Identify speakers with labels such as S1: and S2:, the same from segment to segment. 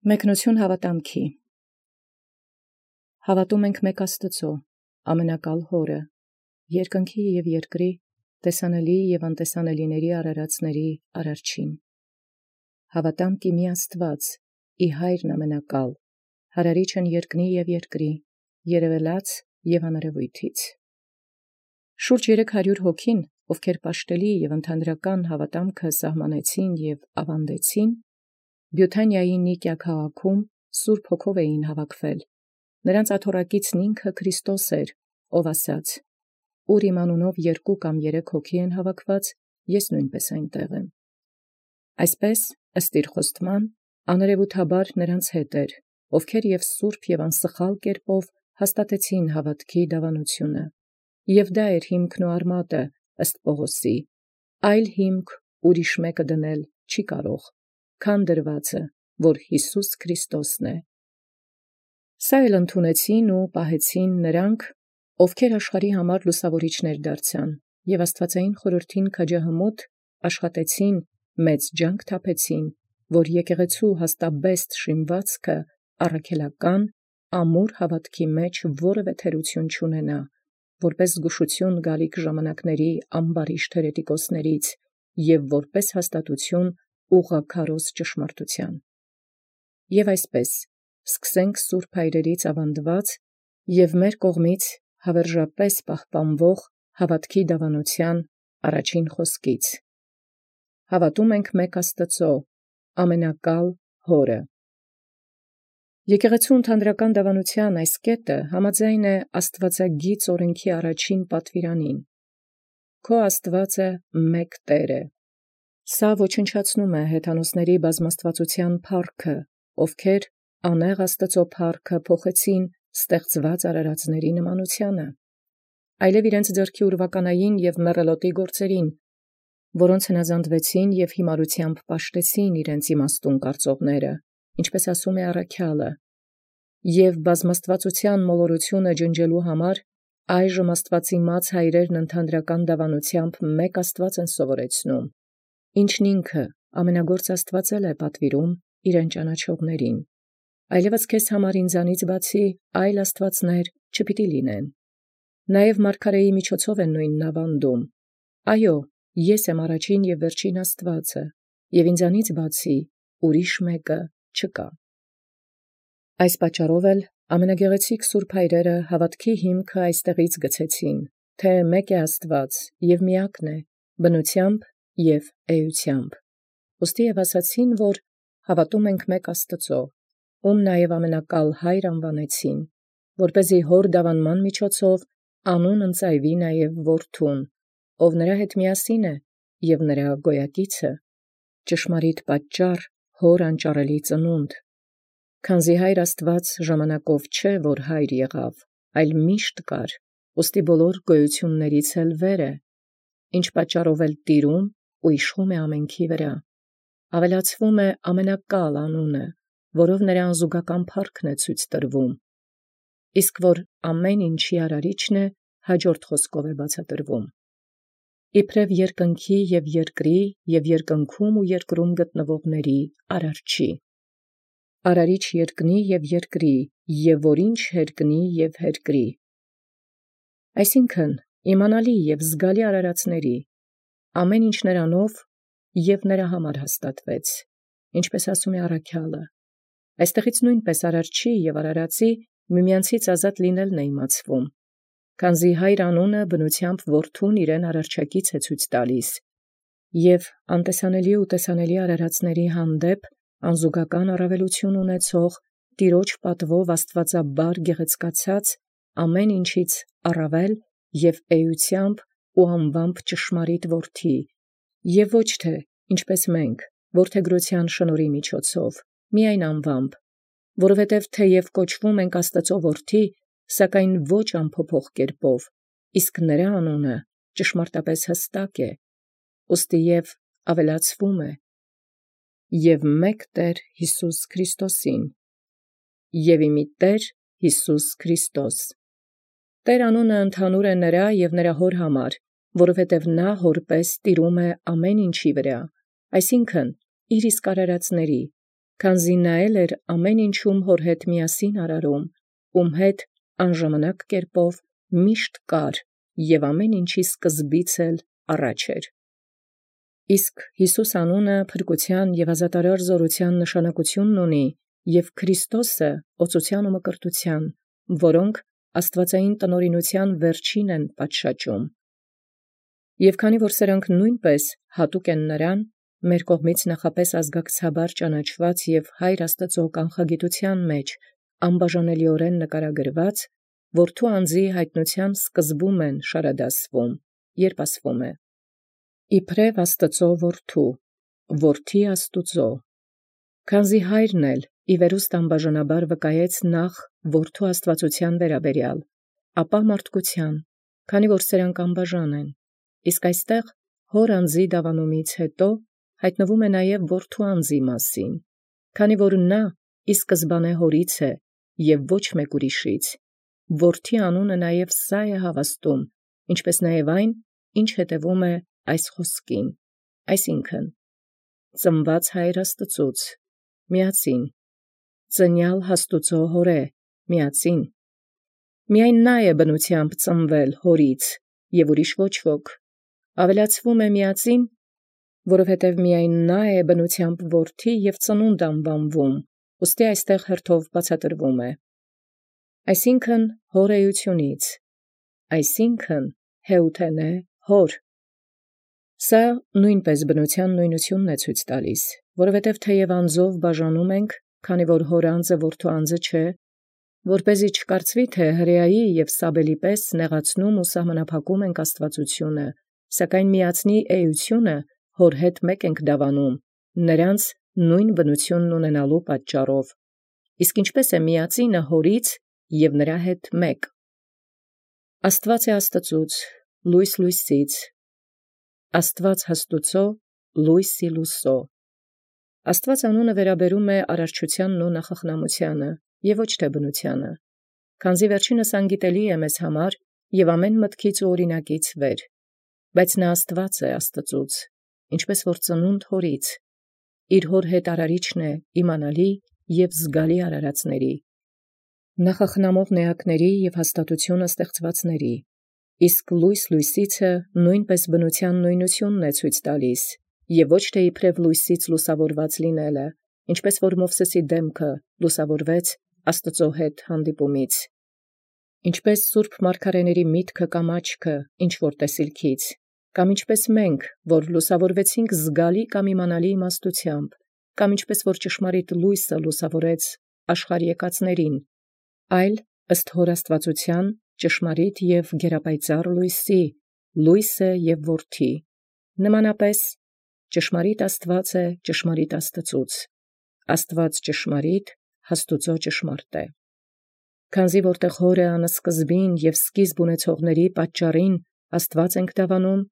S1: Մեկնություն հաւատամքի։ Հաւատում ենք մեկ Աստուծոյ, ամենակալ Հօրը, երկնքի և երկրի, տեսանելի և անտեսանելիների արարածների Արարչին։ Հաւատամ կի մի Աստուած, ի Հայրն ամենակալ, հարարիչն երկնի և երկրի, երևելած և աներևոյթից. Շուրջ 300 հոգին, ովքեր պաշտելի և ընդհանրական հաւատամքը սահմանեցին և աւանդեցին, Բիութանիայի Նիկիա քաղաքում Սուրբ Հոգով էին հավաքվել. նրանց աթոռակիցն ինքը Քրիստոս էր, ով ասաց. «Ուր իմ անունով 2 կամ 3 հոգի են հավաքված, ես նույնպէս այնտեղ եմ»։ Այսպէս ըստ իր խոստման աներևութաբար նրանց հետ էր, ովքեր և սուրբ և անսխալ կերպով հաստատեցին հաւատքի դավանութիւնը, և դա էր հիմքն ու արմատը ըստ Պաւղոսի, այլ հիմք ուրիշ մեկը դնել չի կարող, քան դրուածը, որ Յիսուս Քրիստոսն է։ Սա էլ ընդունեցին ու պահեցին նրանք, ովքեր աշխարհի համար լուսաւորիչներ դարձան, և աստուածային խորհրդին քաջահմուտ աշխատեցին, մեծ ջանք թափեցին, որ եկեղեցու հաստաբեստ շինվածքը առաքելական, ամուր հաւատքի մեջ որևէ թերություն չունենա, որպէս զգուշություն գալիք ժամանակների ամբարիշտ հերետիկոսներից և որպէս հաստատություն ուղղաքարոզ ճշմարտութեան։ Եւ այսպէս սկսենք սուրբ հայրերից աւանդելոց և մեր կողմից հաւերժապէս պահպանվող հաւատքի դավանութեան առաջին խոսքից. հաւատում ենք մեկ Աստուծոյ, ամենակալ Հօրը։ Եկեղեցու ընդհանրական դավանութեան այս կետը համաձայն է աստուածագիծ օրենքի առաջին պատուիրանին. «Քո Աստուածը մեկ Տէր է»։ Սա ոչնչացնում է հեթանոսների բազմաստուածութեան փառքը, ովքեր անեղ Աստուծոյ փառքը փոխեցին ստեղծված արարածների նմանութեանը, այլև իրենց ձեռքի ուրվականային և մեռելոտի գործերին, որոնց հնազանդվեցին և հիմարութեամբ պաշտեցին իրենց իմաստուն կարծողները, ինչպէս ասում է առաքեալը. «Եւ բազմաստուածութեան մոլորութիւնը ջնջելու համար այժմ աստուածիմաց հայրերն ընդհանրական դավանութեամբ մեկ Աստուած են սովորեցնում, ինչն ինքը ամենագործ Աստուած է պատվիրում իրեն ճանաչողացն. այլևս քեզ համար ինձանից բացի այլ աստուածներ չպիտի լինեն։ Նաեւ մարգարէի միջոցով են նոյնն աւանդում. այո, ես եմ առաջին և վերջին Աստուածը, և ինձանից բացի ուրիշ մեկը չկա։ Այս պատճառով էլ ամենագեղեցիկ սուրբ հայրերը հաւատքի հիմքը այստեղից գցեցին, թէ մեկ է Աստուած և միակն է, բնութեամբ և էութեամբ։ Ուստի և ասացին, որ հաւատում ենք մեկ Աստուծոյ, ում նաև ամենակալ Հայր անվանեցին, որպեսզի հոր դավանման միջոցով անուն ընծայուի նաև որդուն, ով նրա հետ միասին է և նրա գոյակիցը, ճշմարիտ պատճառ հոր անճարելի ծնունդ, քանզի Հայր Աստուած ժամանակով չէ, որ Հայր եղավ, այլ միշտ կար, ուստի բոլոր գոյութիւնացն էլ վեր է, ինչ պատճառով էլ տիրում ու իշխում է ամենքի վրա, ավելացվում է ամենակալ անունը, որով նրա անզուգական փառքն է ցույց տրվում, իսկ որ ամեն ինչի արարիչն է, հաջորդ խոսքով է բացատրվում. իբրև երկնքի և երկրի և երկնքում ու երկրում գտնվողների Արարչի, արարիչ երկնի և երկրի և որ ինչ հերկնի և հերկրի, այսինքն իմանալի և զգալի արարածների, ամեն ինչ նրանով և նրա համար հաստատվեց, ինչպէս ասում է առաքեալը. այստեղից նույնպէս արարչի և արարածի միմյանցից ազատ լինելն է իմացվում, քանզի Հայր անունը բնութեամբ որդուն իրեն արարչակից է ցույց տալիս, և անտեսանելի ու տեսանելի արարածների հանդեպ անզուգական առավելութիւն ունեցող Տիրոջ պատվով աստուածաբար գեղեցկացած ամեն ինչից առավել և էութեամբ ու անվամբ ճշմարիտ որդի, և ոչ թե ինչպես մենք որդեգրութեան շնորհի միջոցով, միայն անվամբ, որովհետև թեև կոչվում ենք Աստուծոյ որդի, սակայն ոչ անփոփոխ կերպով, իսկ նրա անունը ճշմարտապես հստակ է, ուստի և ավելացվում է. «Եւ մեկ Տէր Յիսուս Քրիստոսին, և ի մի Տէր Յիսուս Քրիստոս»։ Տէր անունը ընդհանուր է նրա և նրա հոր համար, որովհետև նա հորպես տիրում է ամեն ինչի վրա, այսինքն իր իսկ արարածների, քանզի նայել էր ամեն ինչում հոր հետ միասին արարում, հետ անժամանակ կերպով միշտ կար և ամեն ինչի սկզբից էլ առաջ էր։ Իսկ Յիսուս անունը փրկության և ազատարար զորության նշանակությունն ունի, և Քրիստոսը օծության ու մկրտության, որոնք աստվածային տնօրինության վերջին են պատշաճում։ Եւ քանի որ սրանք նույնպես հատուկ են նրան, մեր կողմից նախապես ազգակցաբար ճանաչված եւ Հայր Աստծո կանխագիտության մեջ անբաժանելիորեն նկարագրված, որդու անձի հայտնության սկզբում են շարադասվում, երբ ասվում է. «Իբրև Աստծո որդու, որդի Աստուծո», քանզի Հայրն էլ ի վերուստ անբաժանաբար վկայեց նախ որդու աստվածության վերաբերյալ, ապա մարդկության, քանի որ սրանք անբաժան են, իսկ այստեղ հոր անձի դավանումից հետո հայտնվում է նաև որդու անձի մասին, քանի որ նա ի սկզբանե հորից է և ոչ մեկ ուրիշից, որդի անունը նաև սա է հավաստում, ինչպես նաև այն, ինչ հետևում է այս խոսքին, այսինքն ծնված Հայր Աստծուց, միածին, ծնյալ Աստուծո հորե, միածին, միայն նա է բնությամբ ծնվել հորից և ուրիշ ոչ ոք, ավելացվում է միածին, որովհետև միայն նա է բնությամբ որդի և ծնունդ անվանվում, ուստի այստեղ հերթով բացատրվում է, այսինքն հոր էությունից, այսինքն հեութենե հոր։ Սա նույնպես բնության նույնությունն է ցույց տալիս, որովհետև թեև անձով բաժանում ենք, քանի որ հոր անձը որդու անձը չէ, որպեսզի չկարծվի, թե հրեայի և Սաբելի պես նեղացնում ու սահմանափակում ենք աստվածությունը, սակայն միածնի էությունը հոր հետ մեկ ենք դավանում, նրանց նույն բնությունն ունենալու պատճառով, իսկ ինչպես է միածինը հորից և նրա հետ մեկ։ Աստված է Աստծուց, լույս լույսից, Աստված Աստուծո, լույս Լուսո։ Աստված անունը վերաբերում է արարչությանն ու նախախնամությանը և ոչ թե բնությանը, քանզի վերջինս անգիտելի է մեզ համար և ամեն մտքից ու օրինակից վեր, բայց նա Աստված է Աստծուց, ինչպես որ ծնունդ հորից, իր հոր հետ արարիչն է իմանալի և զգալի արարածների, նախախնամող նեակների և հաստատությունը ստեղծվածների, իսկ լույս լույսիցը նույնպես բնության նույնությունն է ցույց տալիս, և ոչ թե իբրև լույսից լուսավորված լինելը, ինչպես որ Մովսեսի դեմքը լուսավորվեց Աստծո հետ հանդիպումից, ինչպես սուրբ մարգարեների միտքը կամ աչքը ինչ որ տեսիլքից, կամ ինչպես մենք, որ լուսավորվեցինք զգալի կամ իմանալի իմաստությամբ, կամ ինչպես որ ճշմարիտ լույսը լուսավորեց աշխարհ եկածներին, այլ ըստ հոր աստվածության ճշմարիտ և գերապայծառ լույսի, լույսը և որդի, նմանապես ճշմարիտ Աստված է ճշմարիտ Աստծուց, Աստված ճշմարիտ, Աստուծո ճշմարտ է։ Քանզի որտեղ հորը անսկզբին և սկիզբ ունեցողների պատճառին Աստված ենք դավանում,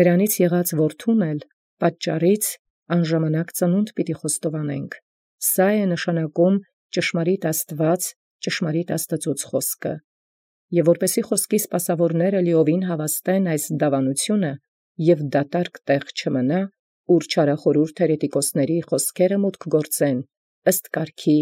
S1: նրանից եղած որդուն էլ պատճառից անժամանակ ծնունդ պիտի խոստովանենք, սա է նշանակում ճշմարիտ Աստված, ճշմարիտ Աստծուց խոսքը, և որպեսի խոսքի սպասավորները լիովին հավաստեն այս դավանությունը և դատարկ տեղ չմնա, ուր չարախորհուրդ հերետիկոսների խոսքերը մուտք գործեն, ըստ կարգի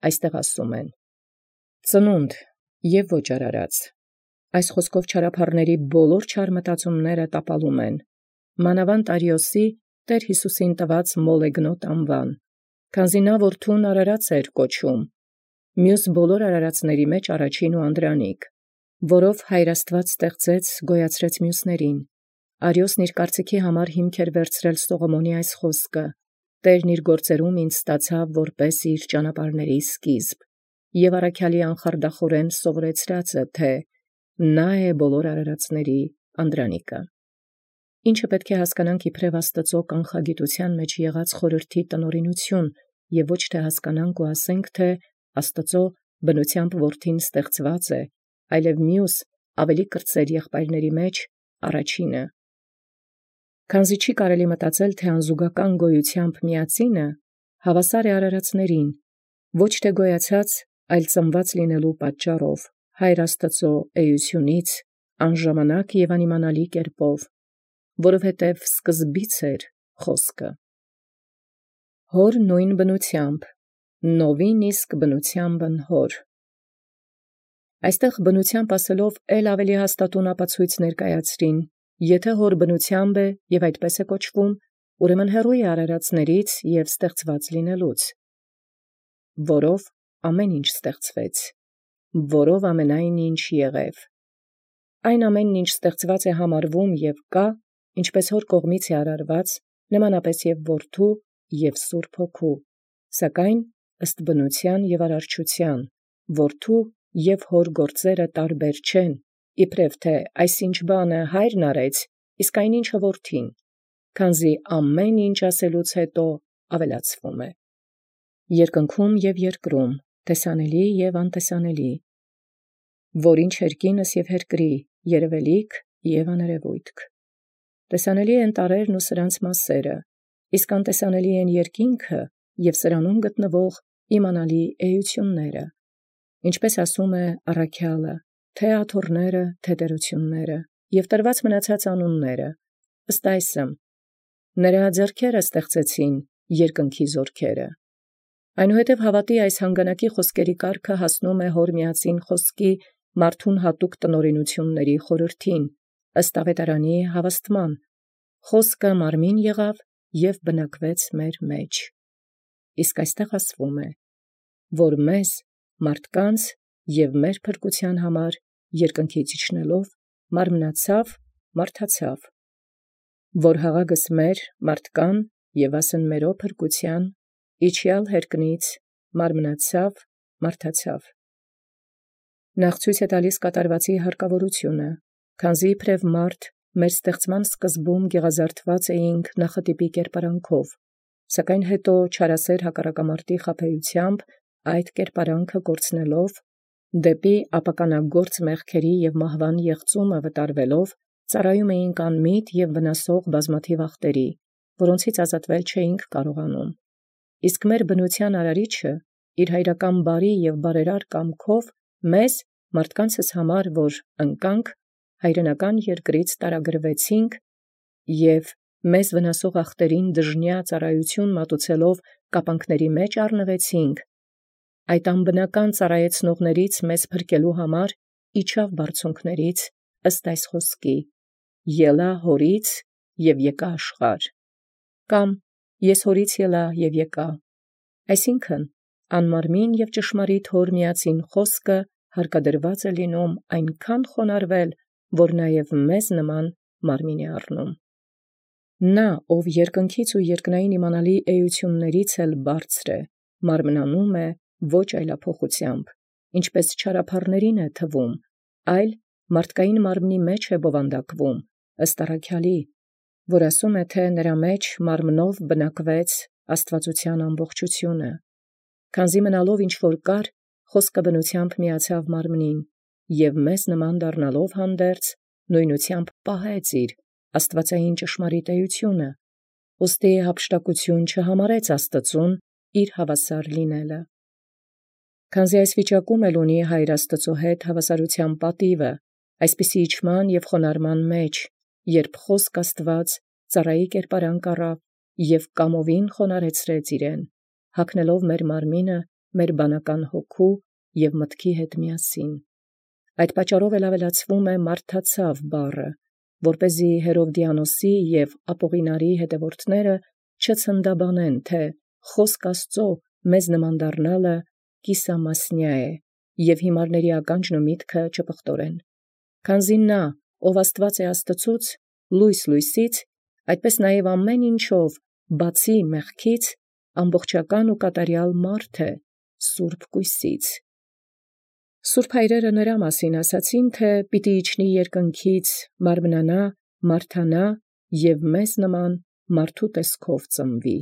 S1: այստեղ ասում են. ծնունդ և ոչ արարած, այս խոսքով չարափառների բոլոր չար մտածումները տապալում են, մանավանդ Արիոսի Տեր Հիսուսին տված մոլեգնոտ անվան, քանզի նա որդուն արարած էր կոչում, մյուս բոլոր արարածների մեջ առաջին ու անդրանիկ, որով Հայր Աստված ստեղծեց, գոյացրեց մյուսներին, Արիոսն իր կարծիքի համար հիմք էր վերցրել Սողոմոնի այս խոսքը. Տերն իր գործերում ինձ ստացավ որպես իր ճանապարհների սկիզբ, և առաքյալի անխարդախորեն սովորեցրածը, թե նա է բոլոր արարածների անդրանիկը։ Ինչը պետք է հասկանանք իբրև Աստծո կանխագիտության մեջ եղած խորհրդի տնօրինություն, և ոչ թե հասկանանք ու ասենք, թե Աստծո բնությամբ որդին ստեղծված է, այլև մյուս ավելի կրտսեր եղբայրների մեջ առաջինը։ Քանզի չի կարելի մտածել, թե անզուգական գոյությամբ միածինը հավասար է արարածներին, ոչ թե գոյացած, այլ ծնված լինելու պատճառով, Հայր Աստծո էությունից, անժամանակ և անիմանալի կերպով, որովհետև սկզբից էր խոսքը։ Հոր նույն բնությամբ, նովին իսկ բնութեամբն հոր։ Այստեղ բնութեամբ ասելով ավելի հաստատուն ապացույց ներկայացրին, եթե հոր բնութեամբ է և այդպես է կոչվում, ուրեմն հեռու է արարածներից և ստեղծված լինելուց, որով ամեն ինչ ստեղծվեց, որով ամենայն ինչ եղև։ Այն ամենն ինչ ստեղծված է համարվում և կա, ինչպես հոր կողմից է արարված, նմանապես և որդու և Սուրբ Հոգու, սակայն ըստ բնութեան և արարչութեան, որդու և հոր գործերը տարբեր չեն, իբրև թե այսինչ բանը հայրն արեց, իսկ այնինչը որդին, քանզի ամեն ինչ ասելուց հետո ավելացվում է։ Երկնքում և երկրում, տեսանելի և անտեսանելի, որինչ երկինս և երկրի, երևելիք և աներևույթք։ Տեսանելի են տարրերն ու սրանց մասսերը, իսկ անտեսանելի են երկինքը և սրանում գտնվող իմանալի էությունները, ինչպես ասում է առաքյալը, թե աթոռները, թե տերությունները, և տրված մնացած անունները, ըստ այսմ. նրա ձեռքերը ստեղծեցին երկնքի զորքերը։ Այնուհետև հավատի այս հանգանակի խոսքերի կարգը հասնում է հոր միածին խոսքի մարդուն հատուկ տնօրինությունների խորհրդին, ըստ ավետարանի հավաստման. խոսքը մարմին եղավ և բնակվեց մեր մեջ։ Իսկ այստեղ ասվում է, որ մեզ, մարդկանց և մեր փրկության համար երկնքից իջնելով մարմնացավ, մարդացավ, որ հաղագս մեր մարդկան և ասն մերո փրկության իջյալ հերկնից մարմնացավ, մարդացավ։ Նախ ցույց է տալիս կատարվածի հարկավորությունը, քանզի իբրև մարդ մեր ստեղծման սկզբում գեղազարդված էինք նախատիպի կերպարանքով, սակայն հետո չարասեր հակառակամարտի խաբեությամբ այդ կերպարանքը կորցնելով, դեպի ապականագործ մեղքերի և մահվան եղծումը վտարվելով, ծառայում էինք անմիտ և վնասող բազմաթիվ ախտերի, որոնցից ազատվել չէինք կարողանում։ Իսկ մեր բնության արարիչը իր հայրական բարի և բարերար կամքով մեզ, մարդկանցս համար, որ ընկանք, հայրենական երկրից տարագրվեցինք և մեզ վնասող ախտերին դժնյա ծառայություն մատուցելով կապանքների մեջ առնվեցինք, այդ անբնական ծառայեցնողներից մեզ փրկելու համար իջավ բարձունքներից, ըստ այս խոսքի. ելա հորից և եկա աշխարհ, կամ ես հորից ելա և եկա, այսինքն անմարմին և ճշմարիտ հոր միածին խոսքը հարկադրված է լինում այնքան խոնարհվել, որ նաև մեզ նման մարմին է առնում։ Նա, ով երկնքից ու երկնային իմանալի էություններից էլ բարձր է, մարմնանում է ոչ այլափոխությամբ, ինչպես չարափառներին է թվում, այլ մարդկային մարմնի մեջ է բովանդակվում, ըստ առաքյալի, որ ասում է, թե նրա մեջ մարմնով բնակվեց աստվածության ամբողջությունը, քանզի մնալով ինչ որ կար, խոսքը բնությամբ միացավ մարմնին, և մեզ նման դառնալով հանդերձ, նույնությամբ պահեց իր աստվածային ճշմարիտ էությունը, ուստի հափշտակություն չհամարեց Աստծուն իր հավասար լինելը։ Քանզի այս վիճակում էլ ունի Հայր Աստծու հետ հավասարության պատիվը, այսպիսի իջման և խոնարհման մեջ, երբ խոսք Աստված ծառայի կերպարանք առավ և կամովին խոնարհեցրեց իրեն, հագնելով մեր մարմինը մեր բանական հոգու և մտքի հետ միասին։ Այդ պատճառով էլ ավելացվում է մարդացավ բառը, որպեսզի Հերովդիանոսի և Ապողինարի հետևորդները չցնդաբանեն, թե խոսք Աստծո մեզ նման դառնալը կիսամասնյա է, և հիմարների ականջն ու միտքը չպղտորեն։ Քանզի նա, ով Աստված է Աստծուց, լույս լույսից, այդպես նաև ամեն ինչով, բացի մեղքից, ամբողջական ու կատարյալ մարդ է, սուրբ կույսից։ Սուրբ հայրերը նրա մասին ասացին, թե պիտի իջնի երկնքից, մարմնանա, մարդանա և մեզ նման մարդու տեսքով ծնվի։